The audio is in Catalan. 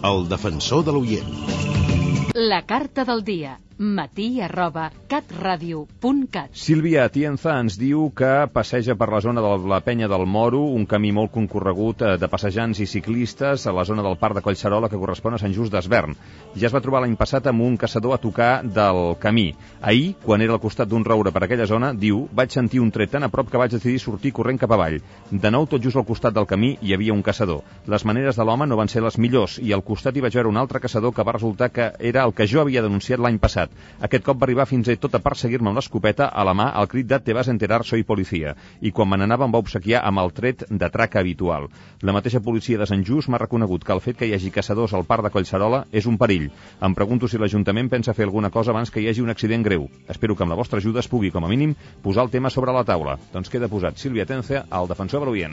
El defensor de l'oient. La carta del dia. matí@catradio.cat. Sílvia Atienza ens diu que passeja per la zona de la Penya del Moro, un camí molt concorregut de passejants i ciclistes a la zona del Parc de Collserola que correspon a Sant Just d'Esvern. Ja es va trobar l'any passat amb un caçador a tocar del camí. Ahir, quan era al costat d'un roure per aquella zona, diu, vaig sentir un tret tan a prop que vaig decidir sortir corrent cap avall. De nou, tot just al costat del camí hi havia un caçador. Les maneres de l'home no van ser les millors i al costat hi vaig veure un altre caçador que va resultar que era el que jo havia denunciat l'any passat. Aquest cop va arribar fins i tot a perseguir-me amb l'escopeta a la mà al crit de «Te vas enterar, soy policía», i quan me n'anava em va obsequiar amb el tret de traca habitual. La mateixa policia de Sant Just m'ha reconegut que el fet que hi hagi caçadors al Parc de Collserola és un perill. Em pregunto si l'Ajuntament pensa fer alguna cosa abans que hi hagi un accident greu. Espero que amb la vostra ajuda es pugui, com a mínim, posar el tema sobre la taula. Doncs queda posat. Sílvia Atienza, el defensor de l'oient.